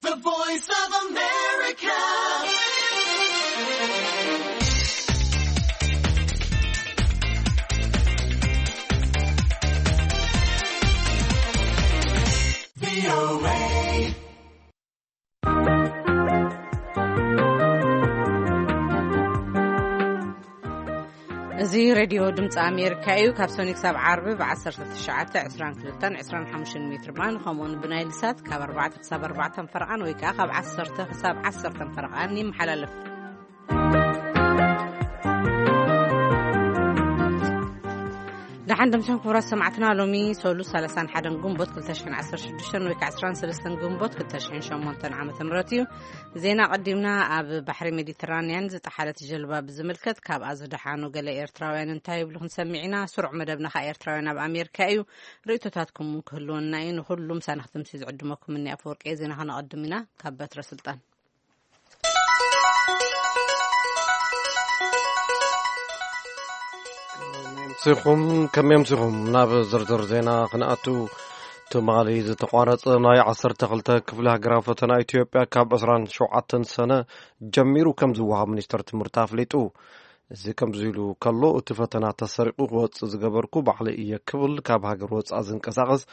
The Voice of America. እዚ ሬድዮ ድምፂ ኣሜሪካ እዩ። ካብ ሰኒ ክሳብ ዓርቢ ብ1922 25 ሜትር ባንድ፣ ከምኡውን ብናይል ሳት ካብ ኣርባዕተ ክሳብ ኣርባዕተ ፈረቓን ወይ ከዓ ካብ ዓሰርተ ክሳብ ዓሰርተ ፈረቓን ይመሓላለፍ። ደሓን ደምሰን ክቡራት ሰማዕትና፣ ሎሚ ሰሉስ 31 ግንቦት 2016 ወይ ከዓ 13 ግንቦት 2008 ዓመተ ምህረት እዩ። ዜና ቀዲምና። ኣብ ባሕሪ ሜዲትራንያን ዝጠሓለት ጀልባ ብዝምልከት ካብኣ ዝደሓኑ ገለ ኤርትራውያን እንታይ ይብሉ ክንሰምዕ ኢና። ስሩዕ መደብና ከኣ ኤርትራውያን ኣብ ኣሜሪካ እዩ። ርእይቶታትኩም እውን ክህልወና እዩ። ንኹሉ ምሳና ክትምሲ ዝዕድመኩም እኒ ኣፈወርቂ። ዜና ከነቐድም ኢና። ካብ በትረ ስልጣን። ሲኹም ከመይ ኣምሲኹም? ናብ ዝርዝር ዜና ክንኣቱ። ትማሊ ዝተቋረጸ ናይ 12 ክፍሊ ሃገራዊ ፈተና ኢትዮጵያ ካብ 27 ሰነ ጀሚሩ ከም ዝወሃብ ሚኒስተር ትምህርቲ ኣፍሊጡ። እዚ ከምዚ ኢሉ ከሎ፣ እቲ ፈተና ተሰሪቑ ክወጽእ ዝገበርኩ ባዕለይ እየ ክብል ካብ ሃገር ወጻኢ ዝንቀሳቐስ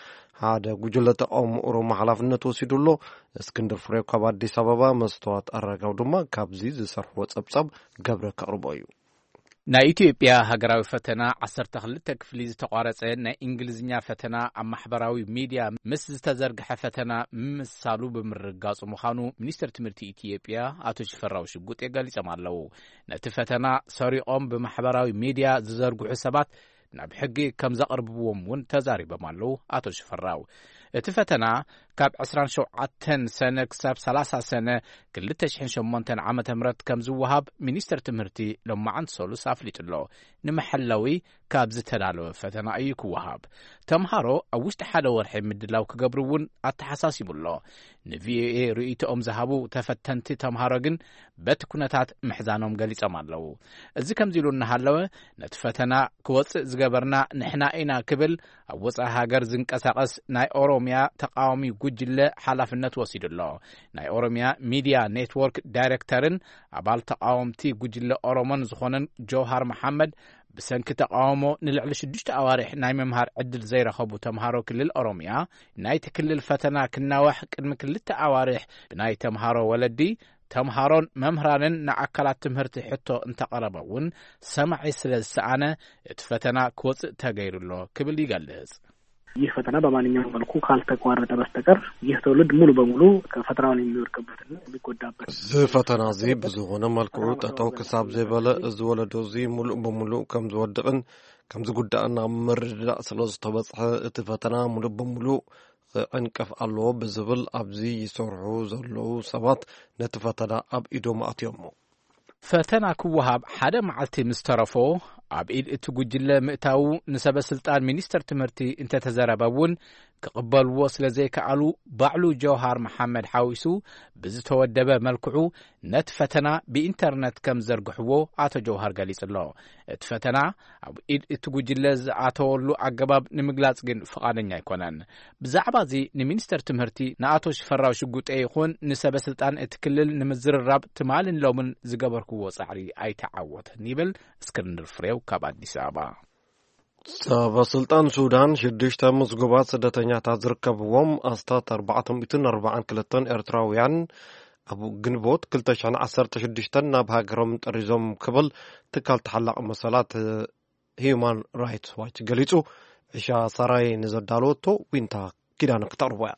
ሓደ ጉጅለ ተቃውሞ ኦሮሞ ሓላፍነት ወሲዱ ኣሎ። እስክንድር ፍሬው ካብ ኣዲስ ኣበባ፣ መስተዋት ኣረጋው ድማ ካብዚ ዝሰርሕዎ ጸብጻብ ገብረ ከቕርቦ እዩ። ናይ ኢትዮጵያ ሃገራዊ ፈተና 12 ክፍሊ ዝተቋረጸ ናይ እንግሊዝኛ ፈተና ኣብ ማሕበራዊ ሚድያ ምስ ዝተዘርግሐ ፈተና ምምሳሉ ብምርጋጹ ምዃኑ ሚኒስትር ትምህርቲ ኢትዮጵያ ኣቶ ሽፈራው ሽጉጤ ገሊጾም ኣለዉ። ነቲ ፈተና ሰሪቖም ብማሕበራዊ ሚድያ ዝዘርግሑ ሰባት ናብ ሕጊ ከም ዘቕርብዎም እውን ተዛሪቦም ኣለዉ ኣቶ ሽፈራው። እቲ ፈተና ካብ 27 ሰነ ክሳብ 30 ሰነ 2008 ዓ.ም ከም ዝወሃብ ሚኒስትር ትምህርቲ ሎማዓንቲ ሰሉስ ኣፍሊጡ ኣሎ። ንመሐለዊ ካብ ዝተዳለወ ፈተና እዩ ክወሃብ። ተምሃሮ ኣብ ውሽጢ ሓደ ወርሒ ምድላው ክገብሩ እውን ኣተሓሳሲቡ ኣሎ። ንቪኦኤ ርእይቶኦም ዝሃቡ ተፈተንቲ ተምሃሮ ግን በቲ ኩነታት ምሕዛኖም ገሊጾም ኣለዉ። እዚ ከምዚ ኢሉ እናሃለወ፣ ነቲ ፈተና ክወጽእ ዝገበርና ንሕና ኢና ክብል ኣብ ወጻኢ ሃገር ዝንቀሳቐስ ናይ ኦሮምያ ተቃዋሚ ጉጅለ ሓላፍነት ወሲዱ ኣሎ። ናይ ኦሮምያ ሚድያ ኔትወርክ ዳይሬክተርን ኣባል ተቃወምቲ ጉጅለ ኦሮሞን ዝኾነን ጀውሃር መሓመድ፣ ብሰንኪ ተቃውሞ ንልዕሊ ሽዱሽተ ኣዋርሕ ናይ ምምሃር ዕድል ዘይረኸቡ ተምሃሮ ክልል ኦሮምያ፣ ናይቲ ክልል ፈተና ክናዋሕ ቅድሚ ክልተ ኣዋርሕ ብናይ ተምሃሮ ወለዲ፣ ተምሃሮን መምህራንን ንኣካላት ትምህርቲ ሕቶ እንተቐረበ እውን ሰማዒ ስለ ዝሰኣነ፣ እቲ ፈተና ክወፅእ ተገይሩ ኣሎ ክብል ይገልጽ። ይህ ፈተና በማንኛውም መልኩ ካልተቋረጠ በስተቀር ይህ ትውልድ ሙሉ በሙሉ ፈተናውን የሚወድቅበትና የሚጎዳበት እዚ ፈተና እዚ ብዝኾነ መልክዑ ጠጠው ክሳብ ዘይበለ፣ እዚ ወለዶ እዚ ሙሉእ ብሙሉእ ከም ዝወድቕን ከም ዝጉዳእን ኣብ ምርድዳእ ስለ ዝተበጽሐ፣ እቲ ፈተና ሙሉእ ብሙሉእ ክዕንቀፍ ኣለዎ ብዝብል ኣብዚ ይሰርሑ ዘለዉ ሰባት ነቲ ፈተና ኣብ ኢዶም ኣእትዮሞ። ፈተና ክወሃብ ሓደ መዓልቲ ምስ ተረፎ፣ ኣብ ኢድ እቲ ጉጅለ ምእታዉ ንሰበ ስልጣን ሚኒስተር ትምህርቲ እንተተዘረበ እውን፣ ክቕበልዎ ስለ ዘይከኣሉ፣ ባዕሉ ጀውሃር መሓመድ ሓዊሱ ብዝተወደበ መልክዑ ነቲ ፈተና ብኢንተርነት ከም ዘርግሕዎ ኣቶ ጀውሃር ገሊጹ ኣሎ። እቲ ፈተና ኣብ ኢድ እቲ ጉጅለ ዝኣተወሉ ኣገባብ ንምግላጽ ግን ፍቓደኛ ኣይኮነን። ብዛዕባ እዚ ንሚኒስተር ትምህርቲ ንኣቶ ሽፈራው ሽጉጤ ይኹን ንሰበ ስልጣን እቲ ክልል ንምዝርራብ ትማልን ሎምን ዝገበርክዎ ጻዕሪ ኣይተዓወተን ይብል እስክንድር ፍሬው ካብ ኣዲስ ኣበባ። ሰበ ስልጣን ሱዳን ሽዱሽተ ምስጉባት ስደተኛታት ዝርከብዎም ኣስታት ኣርባዕተ ሚእትን ኣርባዓን ክልተን ኤርትራውያን ኣብ ግንቦት ክልተ ሽሕን ዓሰርተ ሽዱሽተን ናብ ሃገሮም ጠሪዞም ክብል ትካል ተሓላቒ መሰላት ሂዩማን ራይትስ ዋች ገሊጹ። ዕሻ ሰራይ ንዘዳለወቶ ዊንታ ኪዳነ ክተቕርቦ እያ።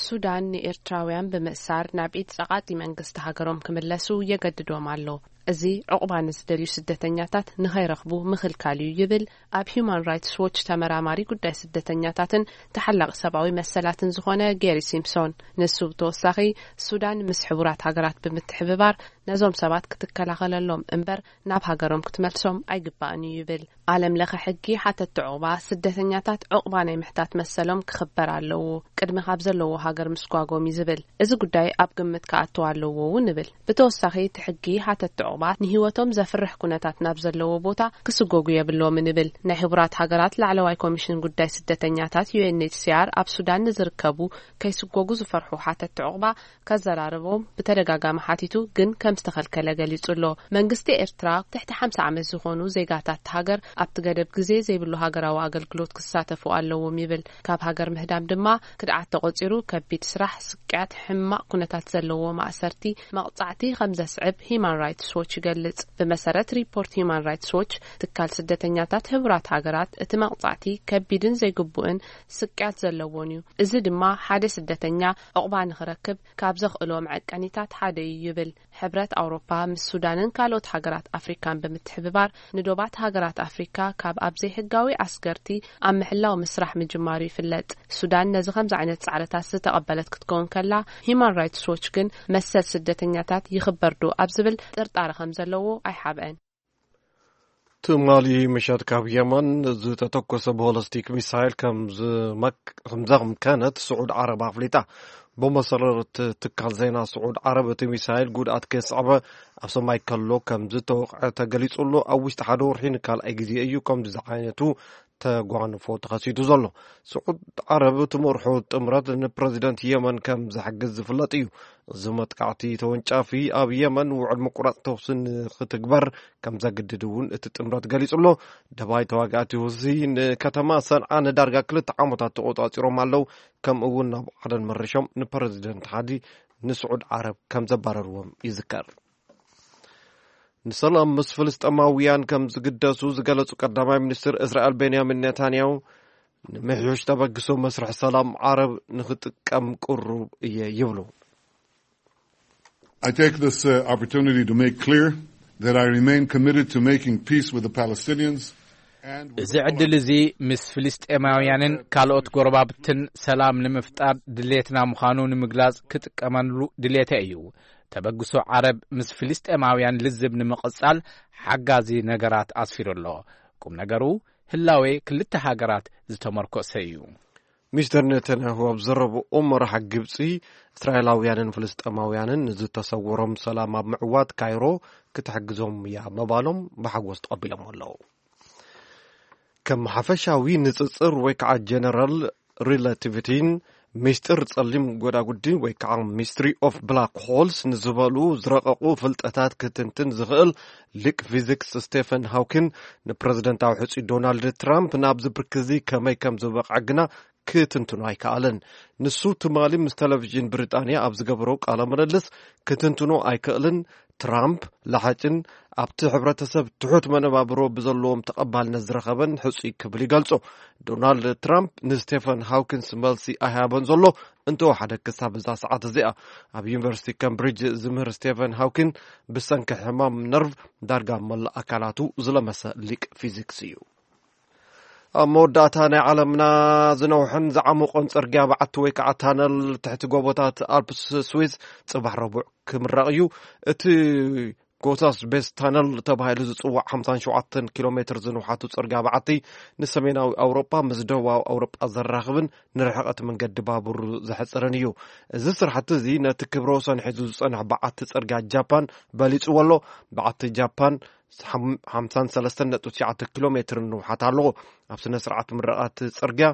ሱዳን ንኤርትራውያን ብምእሳር ናብ ኢድ ጸቓጢ መንግስቲ ሃገሮም ክምለሱ የገድዶም ኣሎ። እዚ ዕቑባ ንዝደልዩ ስደተኛታት ንኸይረኽቡ ምኽልካል እዩ ይብል ኣብ ሂዩማን ራይትስ ዎች ተመራማሪ ጉዳይ ስደተኛታትን ተሓላቒ ሰብኣዊ መሰላትን ዝኾነ ጌሪ ሲምፕሶን። ንሱ ብተወሳኺ፣ ሱዳን ምስ ሕቡራት ሃገራት ብምትሕብባር ነዞም ሰባት ክትከላኸለሎም እምበር ናብ ሃገሮም ክትመልሶም ኣይግባእን እዩ ይብል። ዓለም ለኸ ሕጊ ሓተቲ ዑቕባ ስደተኛታት ዑቕባ ናይ ምሕታት መሰሎም ክኽበር ኣለዎ፣ ቅድሚ ካብ ዘለዎ ሃገር ምስጓጎም እዩ ዝብል። እዚ ጉዳይ ኣብ ግምት ክኣትው ኣለዎ እውን ይብል። ብተወሳኺ እቲ ሕጊ ሓተቲ ባት ንህይወቶም ዘፍርሕ ኩነታት ናብ ዘለዎ ቦታ ክስጎጉ የብሎምን ይብል። ናይ ሕቡራት ሃገራት ላዕለዋይ ኮሚሽን ጉዳይ ስደተኛታት፣ ዩ ኤን ኤች ሲ ኣር፣ ኣብ ሱዳን ንዝርከቡ ከይስጎጉ ዝፈርሑ ሓተትቲ ዕቑባ ከዘራርቦም ብተደጋጋሚ ሓቲቱ፣ ግን ከም ዝተኸልከለ ገሊጹ ኣሎ። መንግስቲ ኤርትራ ትሕቲ ሓምሳ ዓመት ዝኾኑ ዜጋታት ሃገር ኣብቲ ገደብ ግዜ ዘይብሉ ሃገራዊ ኣገልግሎት ክሳተፉ ኣለዎም ይብል። ካብ ሃገር ምህዳም ድማ ክድዓት ተቖጺሩ፣ ከቢድ ስራሕ፣ ስቅያት፣ ሕማቕ ኩነታት ዘለዎ ማእሰርቲ፣ መቕጻዕቲ ከም ዘስዕብ ሂማን ራይትስ ዎች ይገልጽ። ብመሰረት ሪፖርት ሂማን ራይትስ ዎች፣ ትካል ስደተኛታት ሕቡራት ሃገራት፣ እቲ መቕጻዕቲ ከቢድን ዘይግቡእን ስቅያት ዘለዎን እዩ። እዚ ድማ ሓደ ስደተኛ ዕቑባ ንኽረክብ ካብ ዘኽእሎ መዐቀኒታት ሓደ እዩ ይብል። ሕብረት ኣውሮፓ ምስ ሱዳንን ካልኦት ሃገራት ኣፍሪካን ብምትሕብባር፣ ንዶባት ሃገራት ኣፍሪካ ካብ ኣብ ዘይሕጋዊ ኣስገርቲ ኣብ ምሕላው ምስራሕ ምጅማሩ ይፍለጥ። ሱዳን ነዚ ከምዚ ዓይነት ጻዕርታት ዝተቐበለት ክትከውን ከላ፣ ሂማን ራይትስ ዎች ግን መሰል ስደተኛታት ይኽበር ዶ ኣብ ዝብል ጥርጣረ ከም ዘለዎ ኣይሓብአን። ትማሊ ምሸት ካብ የመን ዝተተኮሰ ቦለስቲክ ሚሳይል ከም ዝመክ-፣ ከም ዘምከነት ስዑድ ዓረብ ኣፍሊጣ። ብመሰረት ትካል ዜና ስዑድ ዓረብ፣ እቲ ሚሳይል ጉድኣት ከየስዓበ ኣብ ሰማይ ከሎ ከም ዝተወቕዐ ተገሊጹ ኣሎ። ኣብ ውሽጢ ሓደ ወርሒ ንካልኣይ ግዜ እዩ ከምዚ ዝዓይነቱ ተጓንፎ ተኸሲቱ ዘሎ። ስዑድ ዓረብ ትመርሖ ጥምረት ንፕረዚደንት የመን ከም ዝሕግዝ ዝፍለጥ እዩ። እዚ መጥቃዕቲ ተወንጫፊ ኣብ የመን ውዕል ምቁራጽ ተኹሲ ንክትግበር ከም ዘግድድ እውን እቲ ጥምረት ገሊጹ ኣሎ። ደባይ ተዋጋእቲ ሁሲ ንከተማ ሰንዓ ንዳርጋ ክልተ ዓመታት ተቖጻጺሮም ኣለዉ። ከምኡ እውን ናብ ዓደን መሪሾም ንፕረዚደንት ሓዲ ንስዑድ ዓረብ ከም ዘባረርዎም ይዝከር። ንሰላም ምስ ፍልስጤማውያን ከም ዝግደሱ ዝገለጹ ቀዳማይ ሚኒስትር እስራኤል ቤንያሚን ኔታንያሁ፣ ንምሕዮሽ ተበግሶ መስርሕ ሰላም ዓረብ ንኽጥቀም ቅሩብ እየ ይብሉ። I take this, uh, opportunity to make clear that I remain committed to making peace with the Palestinians and with እዚ ዕድል እዚ ምስ ፍልስጤማውያንን ካልኦት ጎረባብትን ሰላም ንምፍጣር ድሌትና ምዃኑ ንምግላጽ ክጥቀመሉ ድሌተ እዩ። ተበግሶ ዓረብ ምስ ፍልስጤማውያን ልዝብ ንምቕጻል ሓጋዚ ነገራት ኣስፊሩ ኣሎ። ቁም ነገሩ ህላዌ ክልተ ሃገራት ዝተመርኮሰ እዩ። ሚስተር ኔታንያሁ ኣብ ዘረብኦም፣ መራሕ ግብጺ እስራኤላውያንን ፍልስጤማውያንን ንዝተሰወሮም ሰላም ኣብ ምዕዋት ካይሮ ክትሕግዞም እያ ምባሎም ብሓጎስ ተቐቢሎም ኣለዉ። ከም ሓፈሻዊ ንጽጽር ወይ ከዓ ጀነራል ሪላቲቪቲን ሚስጥር ጸሊም ጎዳጉዲ ወይ ከዓ ሚስትሪ ኦፍ ብላክ ሆልስ ንዝበሉ ዝረቐቑ ፍልጠታት ክትንትን ዝኽእል ሊቅ ፊዚክስ ስቴፈን ሃውኪን ንፕረዚደንታዊ ሕጹይ ዶናልድ ትራምፕ ናብዚ ብርኪ እዚ ከመይ ከም ዝበቕዐ ግና ክትንትኖ ኣይከኣለን። ንሱ ትማሊ ምስ ቴሌቪዥን ብሪጣንያ ኣብ ዝገበሮ ቃለ ምልልስ ክትንትኖ ኣይክእልን። ትራምፕ ለሓጭን ኣብቲ ሕብረተሰብ ትሑት መነባብሮ ብዘለዎም ተቐባልነት ዝረኸበን ሕጹይ ክብል ይገልጾ። ዶናልድ ትራምፕ ንስቴፈን ሃውኪንስ መልሲ ኣይሃበን ዘሎ። እንተወሓደ ክሳብ እዛ ሰዓት እዚኣ ኣብ ዩኒቨርሲቲ ካምብሪጅ ዝምህር ስቴፈን ሃውኪን ብሰንኪ ሕማም ነርቭ ዳርጋ መላእ ኣካላቱ ዝለመሰ ሊቅ ፊዚክስ እዩ። ኣብ መወዳእታ፣ ናይ ዓለምና ዝነውሐን ዝዓሞቐን ጽርግያ በዓቲ ወይ ከዓ ታነል ትሕቲ ጎቦታት ኣልፕስ ስዊዝ ጽባሕ ረቡዕ ክምረቕ እዩ። እቲ ጎታስ ቤስ ታነል ተባሂሉ ዝጽዋዕ ሓምሳን ሸውዓተን ኪሎ ሜትር ዝንውሓቱ ጽርግያ በዓቲ ንሰሜናዊ ኣውሮጳ ምስ ደቡባዊ ኣውሮጳ ዘራኽብን ንርሕቐት መንገዲ ባቡር ዘሕጽርን እዩ። እዚ ስራሕቲ እዚ ነቲ ክብረ ወሰን ሒዙ ዝጸንሕ በዓቲ ጽርግያ ጃፓን በሊጽዎ ኣሎ። በዓቲ ጃፓን ሓምሳን ሰለስተን ነጥቢ ትሽዓተ ኪሎ ሜትር ንውሓት ኣለዎ። ኣብ ስነ ስርዓት ምረቓት ጽርግያ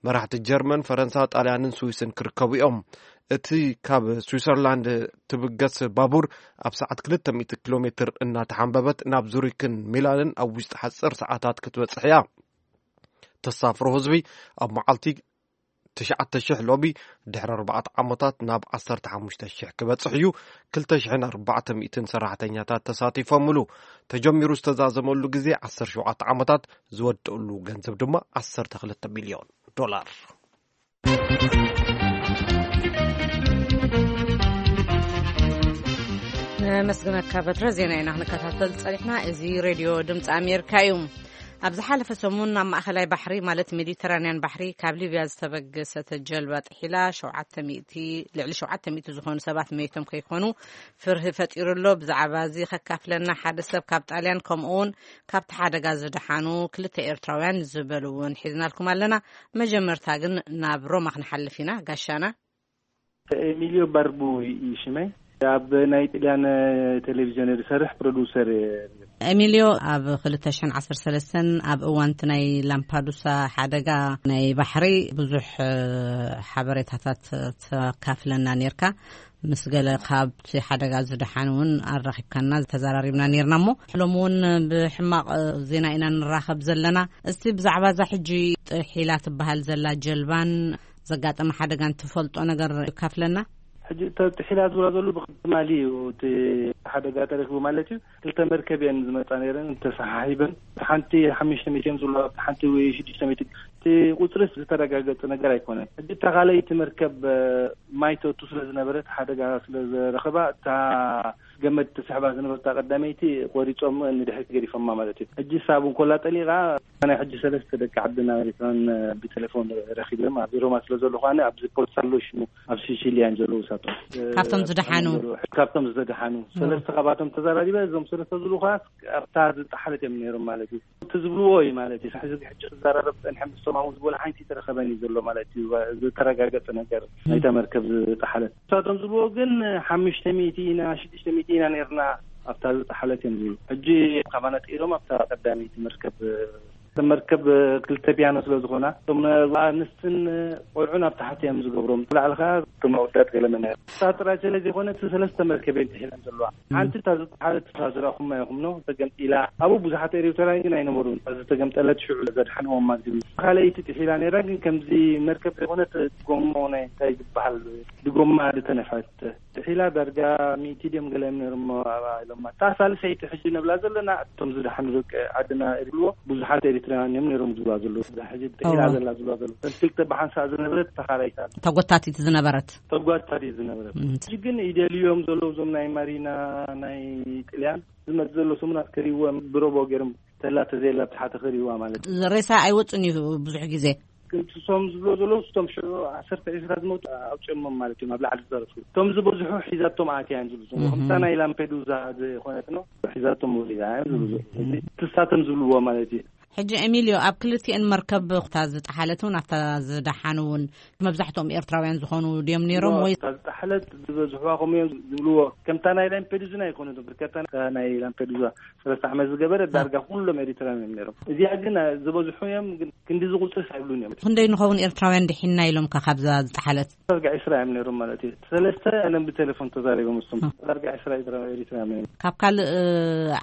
መራሕቲ ጀርመን፣ ፈረንሳ፣ ጣልያንን ስዊስን ክርከቡ እዮም። እቲ ካብ ስዊሰርላንድ ትብገስ ባቡር ኣብ ሰዓት ክልተ ሚእቲ ኪሎ ሜትር እናተሓንበበት ናብ ዙሪክን ሚላንን ኣብ ውሽጢ ሓፂር ሰዓታት ክትበጽሕ እያ። ተሳፍሮ ህዝቢ ኣብ መዓልቲ ትሽዓተ ሽሕ ሎሚ ድሕሪ ኣርባዕተ ዓመታት ናብ ዓሰርተ ሓሙሽተ ሽሕ ክበጽሕ እዩ። ክልተ ሽሕን ኣርባዕተ ሚእትን ሰራሕተኛታት ተሳቲፎምሉ። ተጀሚሩ ዝተዛዘመሉ ግዜ ዓሰርተ ሸውዓተ ዓመታት፣ ዝወደእሉ ገንዘብ ድማ ዓሰርተ ክልተ ሚልዮን ዶላር። ነመስግነካ በትረ። ዜና ኢና ክንከታተል ጸኒሕና። እዚ ሬድዮ ድምፂ ኣሜሪካ እዩ። ኣብ ዝሓለፈ ሰሙን ናብ ማእኸላይ ባሕሪ፣ ማለት ሜዲተራንያን ባሕሪ፣ ካብ ሊብያ ዝተበገሰት ጀልባ ጥሒላ ሸውዓተ ሚእቲ፣ ልዕሊ ሸውዓተ ሚእቲ ዝኾኑ ሰባት መይቶም ከይኮኑ ፍርሂ ፈጢሩ ኣሎ። ብዛዕባ እዚ ከካፍለና ሓደ ሰብ ካብ ጣልያን፣ ከምኡ እውን ካብቲ ሓደጋ ዝደሓኑ ክልተ ኤርትራውያን ዝበሉ እውን ሒዝናልኩም ኣለና። መጀመርታ ግን ናብ ሮማ ክንሓልፍ ኢና። ጋሻና። ኤሚልዮ ባርቡ እዩ ሽመይ። ኣብ ናይ ጥልያን ቴሌቪዥን ዝሰርሕ ፕሮዲውሰር። ኤሚልዮ፣ ኣብ ክልተ ሽሕን ዓሰርተ ሰለስተን ኣብ እዋንቲ ናይ ላምፓዱሳ ሓደጋ ናይ ባሕሪ ብዙሕ ሓበሬታታት ተካፍለና ኔርካ። ምስ ገለ ካብቲ ሓደጋ ዝደሓኑ እውን ኣራኺብካና፣ ተዘራሪብና ኔርና። እሞ ሕሎም እውን ብሕማቕ ዜና ኢና ንራኸብ ዘለና። እስቲ ብዛዕባ እዛ ሕጂ ጥሒላ ትበሃል ዘላ ጀልባን ዘጋጠመ ሓደጋን ትፈልጦ ነገር ካፍለና። ሕጂ ጥሒላ ዝብላ ዘሉ ብትማሊ እዩ እቲ ሓደጋ ተረኪቡ ማለት እዩ። ክልተ መርከብ እየን ዝመፃ ነይረን ተሰሓሒበን፣ ሓንቲ ሓሙሽተ ሚእቲ እዮም ዝብሉ፣ ሓንቲ ወይ ሽዱሽተ ሚእቲ። እቲ ቁፅሪ ዝተረጋገፀ ነገር ኣይኮነን። ሕጂ እታ ካልኣይቲ መርከብ ማይ ተቱ ስለ ዝነበረት ሓደጋ ስለ ዘረኸባ እታ ገመድ ተስሕባ ዝነበርታ ቀዳመይቲ ቆሪጾም ንድሕሪት ገዲፎማ ማለት እዩ። ሕጂ ሳብ እንኮላ ጠሊቓ ናይ ሕጂ ሰለስተ ደቂ ዓድና ኤሪትራን ብቴሌፎን ረኺብም ኣብዚ ሮማ ስለ ዘለኹ ኣነ ኣብዚ ፖርት ሳሎሽ ኣብ ሲሲሊያን ዘለዉ ሳቶም ካብቶም ዝደሓኑ ካብቶም ዝደሓኑ ሰለስተ ካብኣቶም ተዛራሪበ። እዞም ሰለስተ ዝብሉ ከኣ ኣብታ ዝጠሓለት እዮም ነይሮም ማለት እዩ። እቲ ዝብልዎ እዩ ማለት እዩ። ሕዚ ሕጂ ክዘራረብ ጸንሐ ምስቶም ኣብኡ ዝበሉ ሓንቲ ተረኸበን እዩ ዘሎ ማለት እዩ። ዝተረጋገጸ ነገር ናይታ መርከብ ዝጠሓለት። ንሳቶም ዝብልዎ ግን ሓሙሽተ ሚእቲ ኢና ሽዱሽተ ሚእቲ ኢና ነርና ኣብታ ዝጠሓለት እዮም ዝብሉ። ሕጂ ካባና ጥኢሎም ኣብታ ቀዳመይቲ መርከብ መርከብ ክልተ ፒያኖ ስለ ዝኾና እቶም ኣንስትን ቆልዑን ኣብ ታሕቲ እዮም ዝገብሮም። ላዕሊ ከዓ እቶም ኣወዳት ገለመና እዮም። እሳ ጥራይ ስለ ዘይኮነ እቲ ሰለስተ መርከብ እየን ጥሒለን ዘለዋ። ሓንቲ እታ ዝጠሓለት እሳ ዝረኹማ ኢኹም ነው ተገምጢላ። ኣብኡ ብዙሓት ኤርትራውያን ግን ኣይነበሩን። እታ ዝተገምጠለት ሽዑ ዘድሓንዎም ማለት እዩ። ካልኣይቲ ጥሒላ ነይራ ግን ከምዚ መርከብ ዘይኮነ ጎሞ ናይ እንታይ ዝበሃል ብጎማ ዝተነፍሐት ጥሒላ ዳርጋ ሚእቲ ድዮም ገለ እዮም ነይሮም ኣባ ኢሎማ። እታ ሳልሰይቲ ሕጂ ንብላ ዘለና እቶም ዝደሓኑ ደቂ ዓድና ይብልዎ ብዙሓት ኤሪትራውያን እዮም ነይሮም ዝብላ ዘለዉ። እዛ ሕጂ ጥሒላ እዋ። ዘላ ዝብላ ዘለዉ። እተን ክልተ ብሓንሳእ ዝነበረት ተኻላይታ ተጎታቲት ዝነበረት ተጓታቲት ዝነበረት። ሕጂ ግን ይደልዮም ዘለዉ እዞም ናይ ማሪና ናይ ጥልያን ዝመጽእ ዘሎ ሰሙናት ከሪዎም ብሮቦ ገይሮም ተላ ተዘየላ ብትሓተ ከሪዋ ማለት እዩ። ሬሳ ኣይወጽን እዩ ብዙሕ ግዜ። ግን እሶም ዝብሎ ዘለዉ እቶም ሽዑ ዓሰርተ ዒስራ ዝመቱ ኣውፅኦሞም ማለት እዮም ኣብ ላዕሊ ዝደረሱ። እቶም ዝበዝሑ ሒዛቶም ኣትያ እዮም ዝብሉ ዘለዉ። ከምታ ናይ ላምፔዱዛ ዝኾነት ነው ሒዛቶም ወሪዳ እዮም ዝብሉ ዘለዉ። እዚ ትሳቶም ዝብልዎ ማለት እዩ። ሕጂ ኤሚልዮ፣ ኣብ ክልቲኤን መርከብ እታ ዝጠሓለት እውን ኣብታ ዝደሓኑ እውን መብዛሕትኦም ኤርትራውያን ዝኾኑ ድዮም ነይሮም ወይ? እታ ዝጠሓለት ዝበዝሕዋ ከምኡ እዮም ዝብልዎ። ከምታ ናይ ላምፔዱዝን ኣይኮነትን። ብርከታ ናይ ላምፔዱዛ ሰለስተ ዓመት ዝገበረ ዳርጋ ኩሎም ኤሪትራውያን እዮም ነይሮም። እዚኣ ግን ዝበዝሑ እዮም ግን ክንዲ ዝቁፅርስ ኣይብሉን እዮም። ክንደይ ንኸውን ኤርትራውያን ድሒና ኢሎም ከ ካብዛ ዝጠሓለት? ዳርጋ ዒስራ እዮም ነይሮም ማለት እዩ። ሰለስተ ኣለም ብቴሌፎን ተዛሪቦም እሱም ዳርጋ ዒስራ ኤርትራውያን እዮም። ካብ ካልእ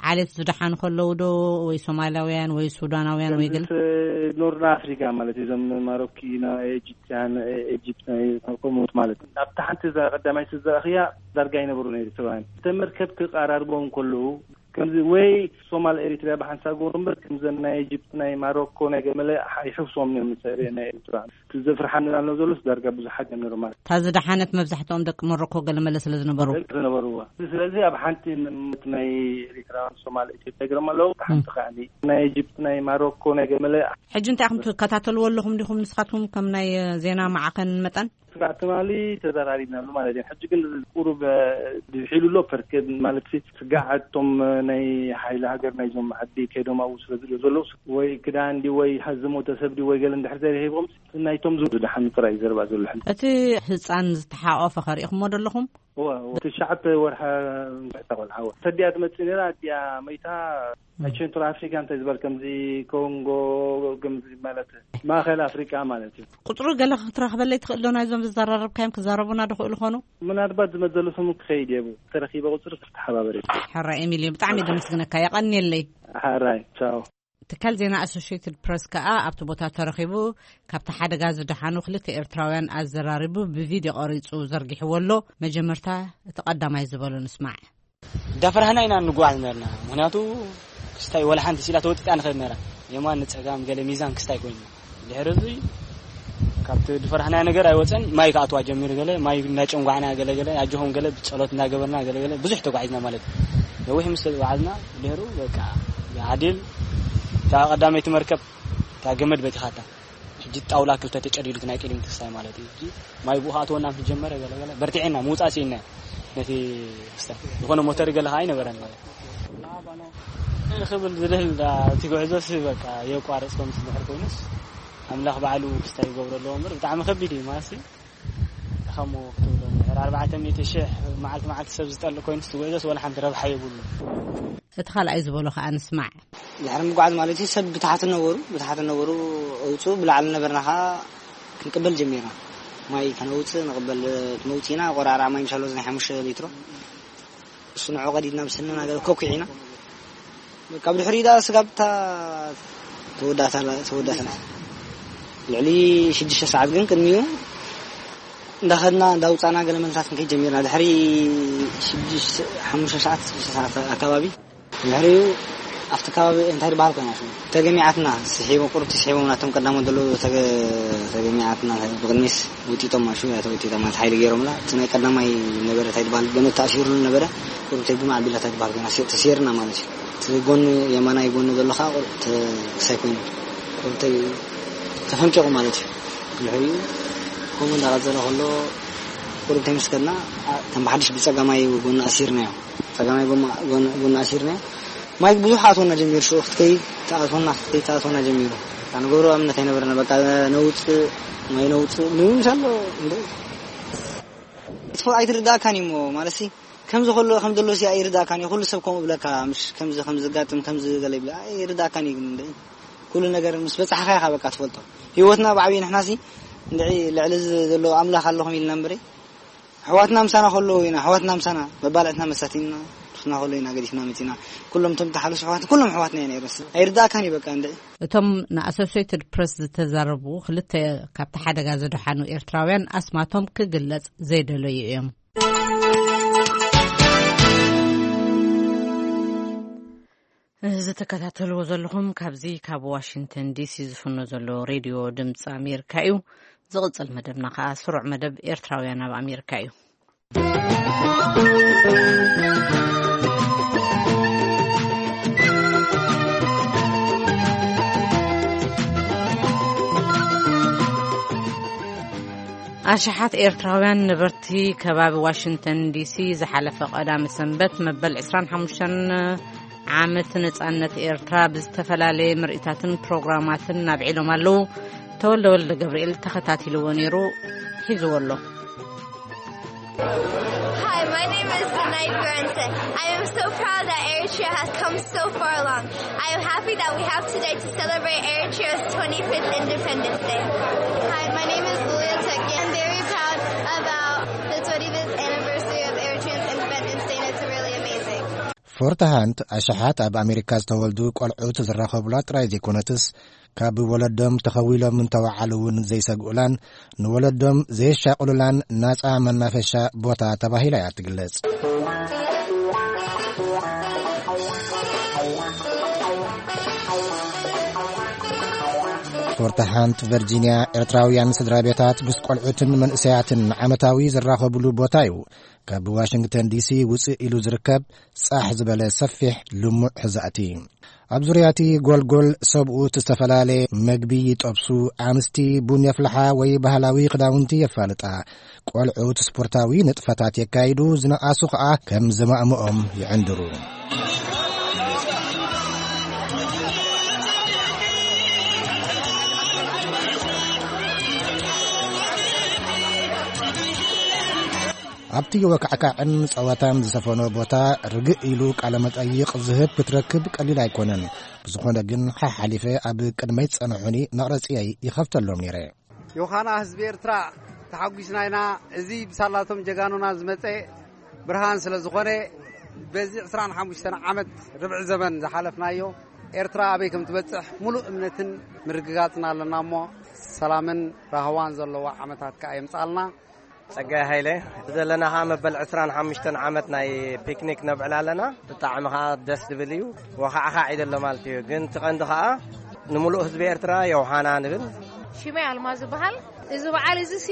ዓሌት ዝደሓኑ ከለዉ ዶ ወይ ሶማላውያን ወይ ሱዳናውያን ወይ ገለ? ኖርና ኣፍሪካ ማለት እዩ። እዞም ማሮኪ ናይ ኤጂፕትያን ኤጂፕት ናይ ከምኡት ማለት እዩ። ኣብታ ሓንቲ እዛ ቀዳማይ ስዘራእኽያ ዳርጋ ኣይነበሩን ኤርትራውያን። እተ መርከብ ክቃራርቦም ከለዉ ከምዚ ወይ ሶማል ኤሪትሪያ ብሓንሳብ ገሩ እምበር ከምዘን ናይ ኤጅፕት ናይ ማሮኮ ናይ ገመለ ይሕፍሶም እዮም ምስ ናይ ኤሪትራ እቲ ዘፍርሓን ኣሎ ዘሎስ ዳርጋ ብዙሓት እዮም ነይሮም ማለት እታ ዝደሓነት መብዛሕትኦም ደቂ ሞሮኮ ገለመለ ስለ ዝነበሩ ደቂ ዝነበርዋ። ስለዚ ኣብ ሓንቲ ምት ናይ ኤሪትራን ሶማል ኢትዮጵያ ገሮም ኣለዉ ሓንቲ ከዓኒ ናይ ኤጅፕት ናይ ማሮኮ ናይ ገመለ ሕጂ እንታይ ኢኹም ትከታተልዎ ኣለኹም ዲኹም ንስኻትኩም ከም ናይ ዜና ማዕኸን መጠን? ስጋዕ ትማሊ ተዘራሪብናሉ ማለት እዩ። ሕጂ ግን ቁሩብ ድሒሉ ኣሎ ፐርኬ ማለት ሲ ስጋዕ እቶም ናይ ሓይሊ ሃገር ናይዞም ዓዲ ከይዶም ኣብኡ ስለ ዝልኡ ዘለዉ ወይ ክዳን ዲ ወይ ዝሞተ ሰብ ዲ ወይ ገለ እንድሕር ዘይረሂቦም ናይቶም ዝድሓኑ ጥራይ ዘረባ ዘሎ ሕጂ። እቲ ህፃን ዝተሓቆፈ ከሪእኹሞ ደለኹም? እወ እወ። ትሽዓተ ወርሓ ምሕታ ቆልዓ እወ። ተዲኣ ትመጽእ ነይራ ኣዲኣ መይታ ናይ ቸንትሮ ኣፍሪካ እንታይ ዝበል ከምዚ ኮንጎ ከምዚ ማለት ማእኸል ኣፍሪቃ ማለት እዩ። ቁፅሩ ገለ ክትረኽበለይ ትኽእል ዶ ናይዞም ዝዘራረብካዮም ክዛረቡና ድኽእሉ ኾኑ? ምናልባት ዝመዘሉ ሰሙን ክኸይድ እየ ተረኺበ ቁፅሪ ክተሓባበር እየ። ሕራይ ኤሚልዮ ብጣዕሚ ደመስግነካ የቐንየለይ። ሕራይ ቻው። ትካል ዜና ኣሶሽትድ ፕረስ ከኣ ኣብቲ ቦታ ተረኺቡ ካብቲ ሓደጋ ዝደሓኑ ክልተ ኤርትራውያን ኣዘራሪቡ ብቪድዮ ቀሪጹ ዘርጊሕዎ ኣሎ። መጀመርታ እቲ ቀዳማይ ዝበሎ ንስማዕ። እንዳፈራህና ኢና እንጓዓዝ ነርና። ምክንያቱ ክስታይ ወላ ሓንቲ ሲላ ተወጢጣ ንኸድ ነራ። የማን ንጸጋም ገለ ሚዛን ክስታይ ኮይንና። ድሕሪ እዚ ካብቲ ዝፈራህናዮ ነገር ኣይወፀን። ማይ ክኣትዋ ጀሚሩ ገለ ማይ እንዳጨንጓዕና ገለ ገለ ኣጆኹም ገለ ብጸሎት እንዳገበርና ገለ ገለ ብዙሕ ተጓዒዝና ማለት እዩ። ነዊሕ ምስ ተጓዓዝና ድሕሩ በቃ ዓዲል እታ ቀዳመይቲ መርከብ እታ ገመድ በቲኻታ ሕጂ ጣውላ ክልተ ተጨዲሉ እቲ ናይ ቅድሚት ክስታይ ማለት እዩ። ሕጂ ማይ ብኡ ክኣትወና ምስ ጀመረ ገለ ገለ በርቲዕና ምውፃእ ስኢንና ነቲ ክስታይ ዝኾነ ሞተር ገለ ከዓ ኣይነበረን ማለት እዩ። ክብል ዝልህል እቲ ጉዕዞስ በቃ የቋረፅኮ ምስ ድሕር ኮይኑስ ኣምላኽ ባዕሉ ክስታይ ይገብሮ ኣለዎ እምበር ብጣዕሚ ከቢድ እዩ ማለት እዩ። ከምኡ ክትብሎ፣ ድሕሪ ኣርባዕተ ሚእቲ ሽሕ መዓልቲ መዓልቲ ሰብ ዝጠልእ ኮይኑ ዝጉዕዞስ ወላ ሓንቲ ረብሓ የብሉ። እቲ ካልኣይ ዝበሎ ከኣ ንስማዕ። ድሕሪ ምጉዓዝ ማለት እዩ፣ ሰብ ብታሕቲ ነበሩ፣ ብታሕቲ ነበሩ፣ ኣውፅኡ፣ ብላዕሊ ነበርና ከኣ ክንቅበል ጀሚርና። ማይ ከነውፅእ ንቕበል፣ መውፂና ቆራርዓ ማይ ምሻሎ ናይ ሓሙሽተ ሊትሮ፣ እሱ ንዑ ቀዲድና ብስንና ገለ ኮኩዒና። ካብ ድሕሪኡ ደኣ ስጋብ እታ ተወዳእታ ኣላ፣ ተወዳእታ ኣላ። ልዕሊ ሽዱሽተ ሰዓት ግን ቅድሚኡ እንዳኸድና እንዳውፃና ገለ መልታት ክንከይድ ጀሚርና። ድሕሪ ሽዱሽተ፣ ሓሙሽተ ሰዓት፣ ሽዱሽተ ሰዓት ኣካባቢ፣ ድሕሪኡ ኣብቲ ከባቢ እንታይ ዝበሃል ኮይና ሽሙ ተገሚዓትና፣ ስሒቦም፣ ቁሩብ ስሒቦም ናቶም ቀዳሞት ዘለዉ ተገ-፣ ተገሚዓትና፣ ብቕድሚት ውጢጦም ማሹ፣ እያ ተወጢጦም ማለት ሓይሊ ገይሮምላ። እቲ ናይ ቀዳማይ ነበረ እንታይ ዝበሃል ገመድ ተኣሲሩሉ ነበረ፣ ቁሩብ ተግማዕ ኣቢላ እንታይ ዝበሃል ኮይና ሴ-፣ ተሰይርና ማለት እዩ። እቲ ጎኒ የማናይ ጎኒ ዘሎ ከዓ ቁሩብ ተ-፣ ክሳይ ኮይኑ፣ ቁሩብ ተ-፣ ተፈንቂቑ ማለት እዩ። ድሕሪኡ ከምኡ እንዳቐጸለ ከሎ ቁሩብ ተምስከልና፣ ኣ-፣ ከም ብሓድሽ ብጸጋማይ ጎኒ ኣሲርናዮ። ጸጋማይ ጎማ-፣ ጎን-፣ ጎን ኣሲርና። ማይ ብዙሕ ኣትወና ጀሚሩ፣ ሽዑ ክትከይድ ተኣትወና፣ ክትከይድ ተኣትወና ጀሚሩ። እታ ንገብሮ እምነት ኣይነበረና። በቃ ነውጽእ፣ ማይ ነውጽእ፣ ምንም ዘሎ እንደ-፣ ትፈ-፣ ኣይትርዳእካን እዩ እሞ፣ ማለት ሲ፣ ከምዚ ከሎ፣ ከም ዘሎ ሲ ኣይርዳእካን እዩ። ኩሉ ሰብ ከምኡ ብለካ፣ ምሽ ከምዚ፣ ከምዚ ዝጋጥም፣ ከምዚ ገለ ይብለ፣ ኣይርዳእካን እዩ ግን እንደ-፣ ኩሉ ነገር ምስ በጻሕካ ኢኻ በቃ ትፈልጦ። ህይወትና ብዓብዪ ንሕና ሲ፣ እንድዒ ልዕሊ እዚ ዘሎ ኣምላኽ ኣለኹም ኢልና እምበረ፣ ኣሕዋትና ምሳና ከለዉ ኢና፣ ኣሕዋትና ምሳና መባልዕትና መሳቲና፣ ርክና ከለዉ ኢና ገዲፍና መጺና። ኩሎም እቶም ተሓለሱ ኣሕዋት፣ ኩሎም ኣሕዋትና ኢና ይረስ። ኣይርዳእካን እዩ በቃ እንድዒ። እቶም ንኣሶሴትድ ፕረስ ዝተዛረቡ ክልተ ካብቲ ሓደጋ ዝደሓኑ ኤርትራውያን ኣስማቶም ክግለጽ ዘይደለዩ እዮም። እዚ ትከታተልዎ ዘለኹም ካብዚ ካብ ዋሽንግተን ዲሲ ዝፍኖ ዘሎ ሬድዮ ድምፂ ኣሜሪካ እዩ። ዝቕጽል መደብና ከኣ ስሩዕ መደብ ኤርትራውያን ኣብ ኣሜሪካ እዩ። ኣሽሓት ኤርትራውያን ነበርቲ ከባቢ ዋሽንግተን ዲሲ ዝሓለፈ ቀዳሚ ሰንበት መበል ዕስራን ሓሙሽተን ዓመት ነጻነት ኤርትራ ብዝተፈላለየ ምርኢታትን ፕሮግራማትን ኣብዒሎም ኣለዉ። ተወልደ ወልደ ገብርኤል ተኸታቲልዎ ነይሩ፣ ሒዝዎ ኣሎ። Hi, my name is Danai Bjornsen. I am so proud that Eritrea has come so far along. I am happy that we have today to celebrate Eritrea's twenty-fifth Independence Day. Hi, my name is Lulia Teki. I'm very proud about the twenty-fifth anniversary of Eritrea's Independence Day, and it's really amazing. ፎርት ሃንት ኣሽሓት ኣብ ኣሜሪካ ዝተወልዱ ቆልዑት ዝራኸቡላ ጥራይ ዘይኮነትስ፣ ካብ ወለዶም ተኸዊሎም እንተወዓሉ እውን ዘይሰግኡላን ንወለዶም ዘየሻቕሉላን ናጻ መናፈሻ ቦታ ተባሂላ እያ ትግለጽ። ፎርት ሃንት ቨርጂንያ ኤርትራውያን ስድራ ቤታት ምስ ቆልዑትን መንእሰያትን ዓመታዊ ዝራኸቡሉ ቦታ እዩ። ካብ ዋሽንግተን ዲሲ ውፅእ ኢሉ ዝርከብ ጻሕ ዝበለ ሰፊሕ ልሙዕ ሕዛእቲ። ኣብ ዙርያ እቲ ጎልጎል ሰብኡት ዝተፈላለየ መግቢ ይጠብሱ፣ ኣንስቲ ቡን የፍልሓ ወይ ባህላዊ ክዳውንቲ የፋልጣ። ቆልዑት ስፖርታዊ ንጥፈታት የካይዱ፣ ዝነኣሱ ኸኣ ከም ዝማእምኦም ይዕንድሩ። ኣብቲ ወካዕካዕን ጸወታን ዝሰፈኖ ቦታ ርግእ ኢሉ ቃለ መጠይቕ ዝህብ ክትረክብ ቀሊል ኣይኮነን። ብዝኾነ ግን ሓሓሊፈ ኣብ ቅድመይ ጸንሑኒ መቕረጺየይ ይኸፍተሎም ነይረ። ዮሃና፣ ህዝቢ ኤርትራ ተሓጒስና ኢና። እዚ ብሳላቶም ጀጋኑና ዝመጸ ብርሃን ስለ ዝኾነ፣ በዚ ዕስራን ሓሙሽተን ዓመት ርብዒ ዘመን ዝሓለፍናዮ፣ ኤርትራ ኣበይ ከም ትበጽሕ ሙሉእ እምነትን ምርግጋጽን ኣለና እሞ፣ ሰላምን ራህዋን ዘለዋ ዓመታት ከኣ የምጻልና። ጸጋይ ሃይለ፣ ዘለና ኸኣ መበል ዕስራን ሓሙሽተን ዓመት ናይ ፒክኒክ ነብዕል ኣለና። ብጣዕሚ ኸኣ ደስ ዝብል እዩ። ወኻዕኻዕ ኢሉ ኣሎ ማለት እዩ። ግን እቲ ቀንዲ ኸኣ ንምሉእ ህዝቢ ኤርትራ ዮሃና ንብል። ሽመይ ኣልማዝ ዝበሃል። እዚ በዓል እዚ ሲ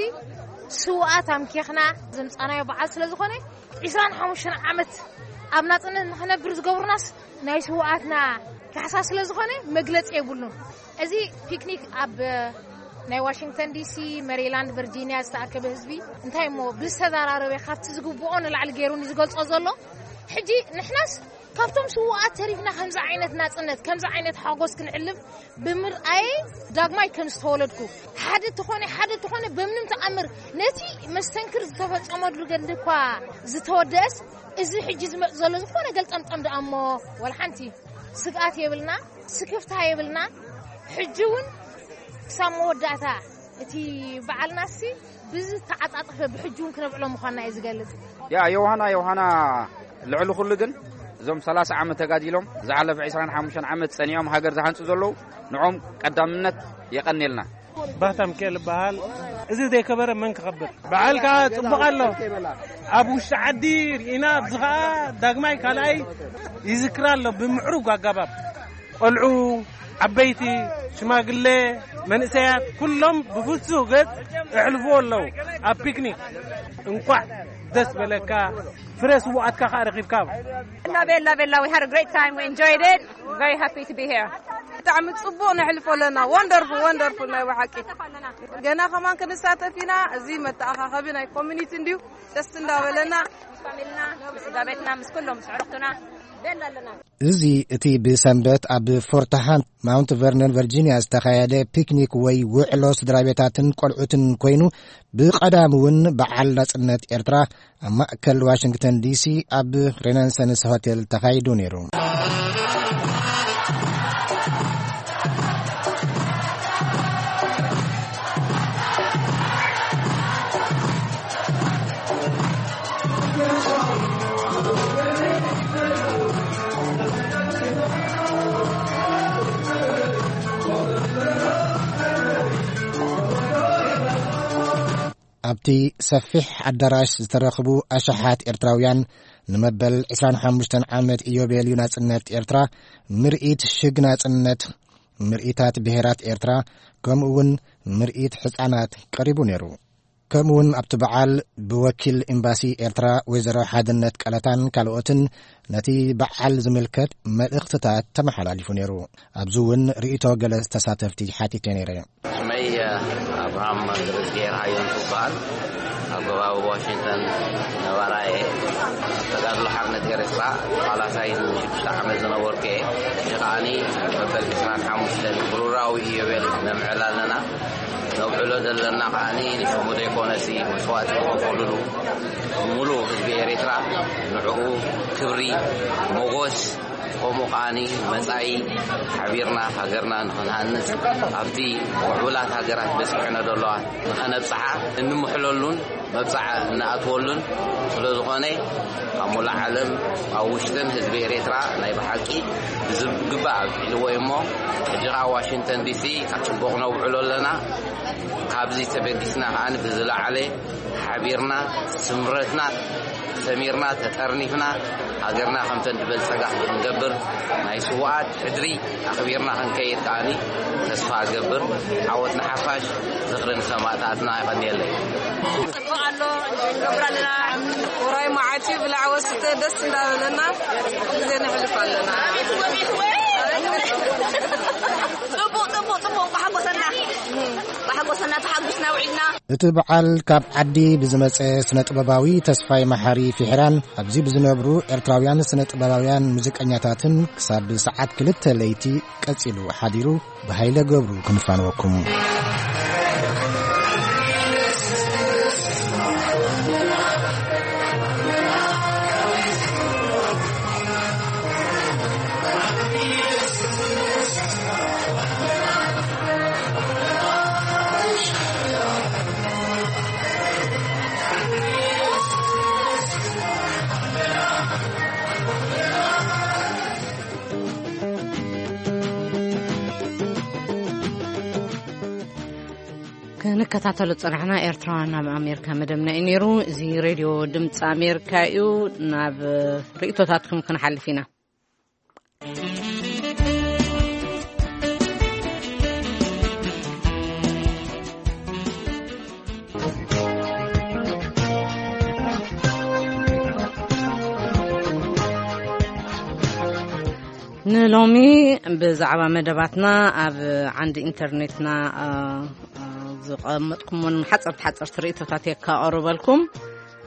ስውኣት ኣምኪኽና ዘምጻናዮ በዓል ስለ ዝኾነ፣ ዕስራን ሓሙሽተን ዓመት ኣብ ናጽነት ንኽነብር ዝገብሩናስ ናይ ስውኣትና ካሕሳ ስለ ዝኾነ መግለጺ የብሉን። እዚ ፒክኒክ ኣብ ናይ ዋሽንግተን ዲሲ፣ መሪላንድ፣ ቨርጂኒያ ዝተኣከበ ህዝቢ እንታይ እሞ ብዝተዘራረበ ካብቲ ዝግብኦ ንላዕሊ ገይሩ እዩ ዝገልጾ ዘሎ። ሕጂ ንሕናስ ካብቶም ስውኣት ተሪፍና ከምዚ ዓይነት ናጽነት፣ ከምዚ ዓይነት ሓጎስ ክንዕልብ ብምርኣየ ዳግማይ ከም ዝተወለድኩ፣ ሓደ ተኾነ፣ ሓደ ተኾነ፣ በምንም ተኣምር ነቲ መስተንክር ዝተፈጸመሉ ገድሊ እኳ ዝተወደእስ፣ እዚ ሕጂ ዝመጽእ ዘሎ ዝኾነ ገልጠምጠም ደኣ እሞ፣ ወላ ሓንቲ ስግኣት የብልና፣ ስክፍታ የብልና። ሕጂ እውን ክሳብ መወዳእታ እቲ በዓልናሲ ብዝተዓጻጸፈ ብሕጂ እውን ክነብዕሎ ምዃንና እዩ ዝገልጽ። ያ ዮሃና፣ ዮሃና፣ ልዕሊ ኩሉ ግን እዞም ሰላሳ ዓመት ተጋዲሎም ዝሓለፈ ዕስራን ሓሙሽተን ዓመት ጸኒዖም ሃገር ዝሃንጹ ዘለዉ ንዖም ቀዳምነት የቐንየልና። ባህታ ሚካኤል ይበሃል። እዚ ዘይከበረ መን ክኸብር? በዓል ከዓ ጽቡቕ ኣሎ። ኣብ ውሽጢ ዓዲ ርኢና፣ ኣብዚ ከዓ ዳግማይ ካልኣይ ይዝክር ኣሎ ብምዕሩግ ኣገባብ። ቆልዑ፣ ዓበይቲ፣ ሽማግሌ፣ መንእሰያት ኩሎም ብፍሱህ ገጽ የሕልፍዎ ኣለዉ። ኣብ ፒክኒክ እንኳዕ ደስ በለካ፣ ፍረ ስውኣትካ ከዓ ረኺብካ። እና ቤላ ቤላ፣ we had a great time, we enjoyed it, very happy to be here. ብጣዕሚ ጽቡቕ ነሕልፎ ኣለና። ወንደርፉል፣ ወንደርፉል ናይ ብሓቂ። ገና ከማን ክንሳተፍ ኢና። እዚ መተኣኻኸቢ ናይ ኮሚኒቲ እንድዩ። ደስ እንዳበለና። ምስ ፋሚልና፣ ምስ ስድራ ቤትና፣ ምስ ኩሎም፣ ምስ ዕሩኽትና፣ ቤላ ኣለና። እዚ እቲ ብሰንበት ኣብ ፎርት ሃንት ማውንት ቨርነን ቨርጂኒያ ዝተኻየደ ፒክኒክ ወይ ውዕሎ ስድራ ቤታትን ቆልዑትን ኮይኑ፣ ብቐዳም እውን በዓል ናጽነት ኤርትራ ኣብ ማእከል ዋሽንግተን ዲሲ ኣብ ሬናንሰንስ ሆቴል ተኻይዱ ነይሩ። ኣብቲ ሰፊሕ ኣዳራሽ ዝተረኽቡ ኣሽሓት ኤርትራውያን፣ ንመበል ዕስራን ሓሙሽተን ዓመት ኢዮቤልዩ ናጽነት ኤርትራ፣ ምርኢት ሽግ ናጽነት፣ ምርኢታት ብሄራት ኤርትራ፣ ከምኡ እውን ምርኢት ሕጻናት ቀሪቡ ነይሩ። ከምኡ እውን ኣብቲ በዓል ብወኪል ኤምባሲ ኤርትራ ወይዘሮ ሓድነት ቀለታን ካልኦትን ነቲ በዓል ዝምልከት መልእኽትታት ተመሓላሊፉ ነይሩ። ኣብዚ እውን ርእይቶ ገለ ተሳተፍቲ ሓቲተ ነይረ። ስመይ ኣብርሃም ገብረዝጊሄር ሃየንቱ ይበሃል። ኣብ ከባቢ ዋሽንግተን ነባራየ። ተጋድሎ ሓርነት ኤርትራ ተቓላሳይ ንሽዱሽተ ዓመት ዝነበርኩ እየ። ሕጂ ከዓኒ መበል ዕስራን ሓሙሽተን ብሩራዊ ኢዮቤል ነምዕል ኣለና። ነብዕሎ ዘለና ከዓኒ ንሽሙ ዘይኮነሲ መስዋእቲ ዝኸፈሉሉ ሙሉእ ህዝቢ ኤርትራ፣ ንዕኡ ክብሪ፣ ሞጎስ፣ ከምኡ ከዓኒ መጻኢ ሓቢርና ሃገርና ንኽንሃንጽ ኣብቲ ምዕቡላት ሃገራት በጺሐን ዘለዋ ንኸነብጽሓ እንምሕለሉን መብጽዓ እንኣትወሉን ስለ ዝኾነ፣ ኣብ ሙሉእ ዓለም፣ ኣብ ውሽጥን ህዝቢ ኤርትራ ናይ ብሓቂ ብዝግባእ ኣብዒልዎ እዩ እሞ፣ ሕጂ ኸኣ ዋሽንግተን ዲሲ ኣብ ጽቡቕ ነውዕሎ ኣለና። ካብዚ ተበጊስና ከኣ ብዝለዓለ ሓቢርና፣ ስምረትና ሰሚርና፣ ተጠርኒፍና፣ ሃገርና ከምተን ዝበልጸጋ ክንገብር፣ ናይ ስውኣት ሕድሪ ኣኽቢርና ክንከይድ ከኣኒ ተስፋ እገብር። ዓወት ንሓፋሽ፣ ዝኽሪ ንሰማእታትና። የቐንየለይ። ጽቡቕ ኣሎ፣ ንገብር ኣለና። ውራይ መዓልቲ ብላዕ ወስተ ደስ እንዳበለና ግዜ ነሕልፍ ኣለና። ጽቡቕ፣ ጽቡቕ፣ ጽቡቕ፣ ብሓጎሰና፣ ብሓጎሰና ተሓጉስና ውዒልና። እቲ በዓል ካብ ዓዲ ብዝመጸ ስነ ጥበባዊ ተስፋይ መሓሪ ፊሕራን ኣብዚ ብዝነብሩ ኤርትራውያን ስነ ጥበባውያን ሙዚቀኛታትን ክሳብ ሰዓት ክልተ ለይቲ ቀጺሉ ሓዲሩ። ብሃይለ ገብሩ ክንፋንወኩም። ክንከታተሎ ዝጸናሕና ኤርትራውያን ኣብ ኣሜሪካ መደብና እዩ ነይሩ። እዚ ሬድዮ ድምፂ ኣሜሪካ እዩ። ናብ ርእቶታትኩም ክንሓልፍ ኢና። ንሎሚ ብዛዕባ መደባትና ኣብ ዓንዲ ኢንተርኔትና፣ አ፣ አ፣ ዝቐመጥኩሞን ሓፀርቲ ሓፀርቲ ርእቶታት የካቐርበልኩም።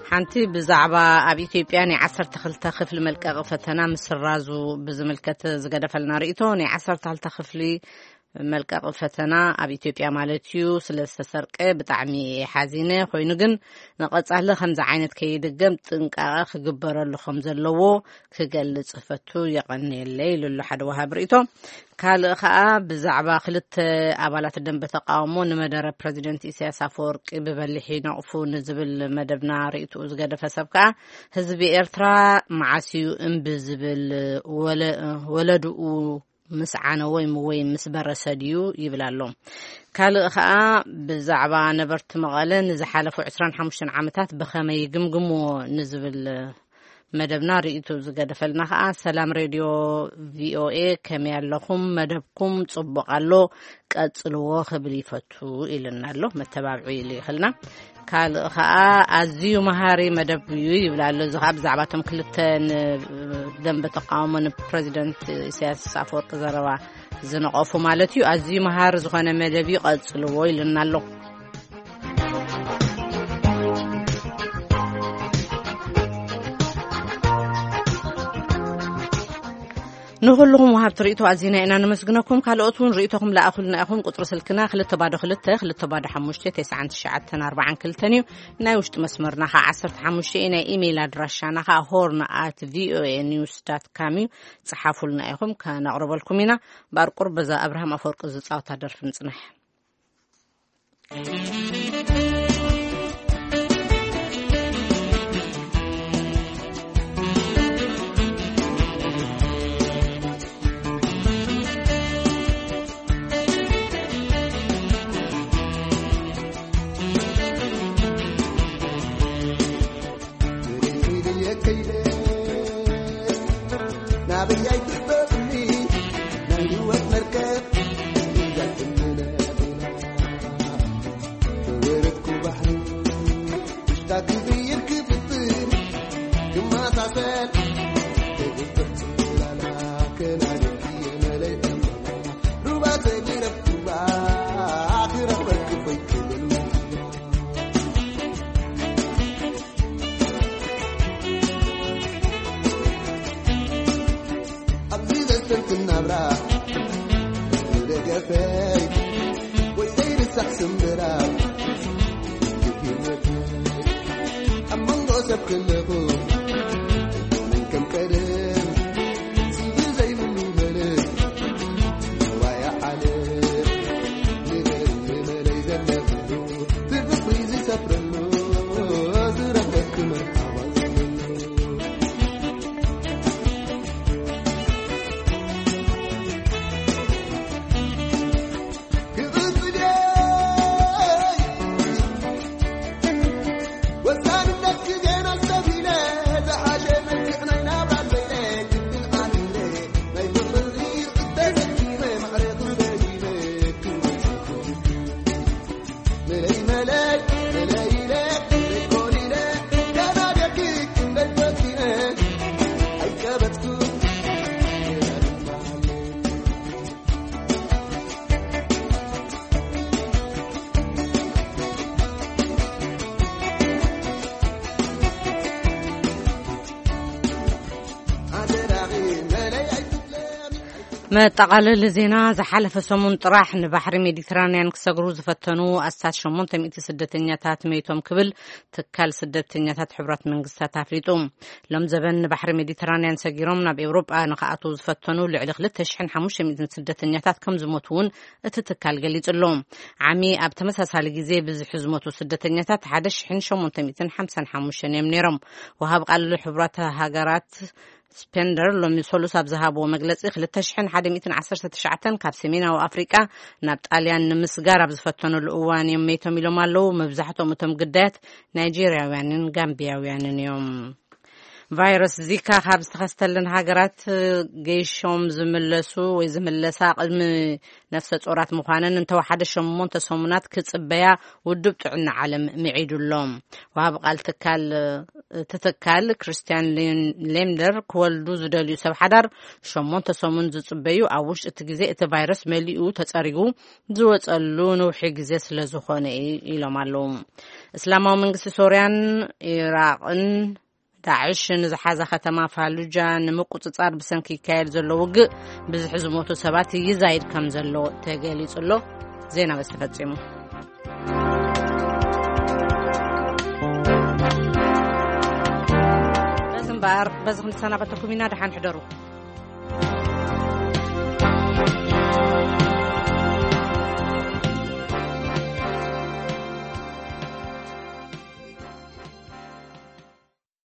ሓንቲ ብዛዕባ ኣብ ኢትዮጵያ ናይ ዓሰርተ ክልተ ክፍሊ መልቀቂ ፈተና ምስራዙ ብዝምልከት ዝገደፈልና ርእይቶ። ናይ ዓሰርተ ክልተ ክፍሊ መልቀቂ ፈተና ኣብ ኢትዮጵያ ማለት እዩ ስለ ዝተሰርቀ ብጣዕሚ እየ ሓዚነ። ኮይኑ ግን ንቐጻሊ ከምዚ ዓይነት ከይድገም ጥንቃቐ ክግበረሉ ከም ዘለዎ ክገልጽ ፈቱ። የቐንየለይ ኢሉ ኣሎ ሓደ ወሃብ ርእይቶ። ካልእ ከኣ ብዛዕባ ክልተ ኣባላት ደንበ ተቃውሞ ንመደረ ፕረዚደንት ኢሳያስ ኣፈወርቂ ብበሊሕ ይነቕፉ ንዝብል መደብና ርእይትኡ ዝገደፈ ሰብ ከኣ ህዝቢ ኤርትራ መዓስ እዩ እምቢ ዝብል? ወለ-፣ ወለድኡ ምስ ዓነወ ወይ ምስ በረሰ ድዩ ይብል ኣሎ። ካልእ ከኣ ብዛዕባ ነበርቲ መቐለ ንዝሓለፉ ዕስራን ሓሙሽተን ዓመታት ብኸመይ ይግምግምዎ ንዝብል መደብና ርእይቱ ዝገደፈልና ከኣ ሰላም ሬድዮ ቪኦኤ ከመይ ኣለኹም? መደብኩም ጽቡቕ ኣሎ፣ ቀጽልዎ ክብል ይፈቱ ኢልና ኣሎ። መተባብዒ ኢሉ ይኽልና። ካልእ ከኣ ኣዝዩ መሃሪ መደብ እዩ ይብል ኣሎ። እዚ ከኣ ብዛዕባ እቶም ክልተ ንደንበ ተቃውሞ ንፕረዚደንት ኢሳያስ ኣፈወርቂ ዘረባ ዝነቐፉ ማለት እዩ። ኣዝዩ መሃሪ ዝኾነ መደብ እዩ፣ ቀጽልዎ ኢልና ኣሎ። ንኹልኹም ወሃብቲ ርእይቶ ኣዚና ኢና ነመስግነኩም። ካልኦት እውን ርእይቶኹም ለኣኹልና ኢኹም። ቁጽሪ ስልክና ክልተ ባዶ ክልተ፣ ክልተ ባዶ ሓሙሽተ፣ ተስዓን ትሽዓተን ኣርባዓን ክልተን እዩ። ናይ ውሽጢ መስመርና ኸዓ ዓሰርተ ሓሙሽተ እዩ። ናይ ኢሜይል ኣድራሻና ኸዓ ሆርን ኣት ቪኦኤ ኒውስ ዳት ካም እዩ። ጽሓፉልና ኢኹም፣ ከነቕርበልኩም ኢና። ባርቁር በዛ ኣብርሃም ኣፈወርቂ ዝጻወታ ደርፊ ንጽናሕ። መጠቓለሊ ዜና። ዝሓለፈ ሰሙን ጥራሕ ንባሕሪ ሜዲትራንያን ክሰግሩ ዝፈተኑ ኣስታት ሸሞንተ ሚእቲ ስደተኛታት መይቶም ክብል ትካል ስደተኛታት ሕቡራት መንግስታት ኣፍሊጡ። ሎም ዘበን ንባሕሪ ሜዲትራንያን ሰጊሮም ናብ ኤውሮጳ ንክኣትዉ ዝፈተኑ ልዕሊ ክልተ ሽሕን ሓሙሽተ ሚእትን ስደተኛታት ከም ዝሞቱ እውን እቲ ትካል ገሊጹ ኣሎ። ዓሚ ኣብ ተመሳሳሊ ግዜ ብዝሒ ዝሞቱ ስደተኛታት ሓደ ሽሕን ሸሞንተ ሚእትን ሓምሳን ሓሙሽተን እዮም ነይሮም። ወሃብ ቃል ሕቡራት ሃገራት ስፔንደር ሎሚ ሰሉስ ኣብ ዝሃብዎ መግለጺ፣ ክልተ ሽሕን ሓደ ሚእትን ዓሰርተ ትሽዓተን ካብ ሰሜናዊ ኣፍሪቃ ናብ ጣልያን ንምስጋር ኣብ ዝፈተኑሉ እዋን እዮም መይቶም ኢሎም ኣለዉ። መብዛሕትኦም እቶም ግዳያት ናይጄርያውያንን ጋምቢያውያንን እዮም። ቫይረስ ዚካ ካብ ዝተኸስተለን ሃገራት ገይሾም ዝምለሱ ወይ ዝምለሳ ቅድሚ ነፍሰ ጾራት ምዃነን እንተወሓደ ሸሞንተ ሰሙናት ክጽበያ ውድብ ጥዕና ዓለም ምዒዱ ኣሎ። ወሃቢ ቃል ትካል ትትካል ክርስቲያን ሌምደር፣ ክወልዱ ዝደልዩ ሰብ ሓዳር ሸሞንተ ሰሙን ዝጽበዩ፣ ኣብ ውሽጢ እቲ ግዜ እቲ ቫይረስ መሊኡ ተጸሪጉ ዝወጸሉ ነውሒ ግዜ ስለ ዝኾነ እዩ ኢሎም ኣለዉ። እስላማዊ መንግስቲ ሶርያን ኢራቕን ዳዕሽ ንዝሓዛ ከተማ ፋሉጃ ንምቁጽጻር ብሰንኪ ይካየድ ዘሎ ውግእ ብዝሒ ዝሞቱ ሰባት ይዛይድ ከም ዘሎ ተገሊጹ ኣሎ። ዜና በዚ ተፈጺሙ። በዚ እምበኣር በዚ ክንሰናበተኩም ኢና። ደሓን ሕደሩ።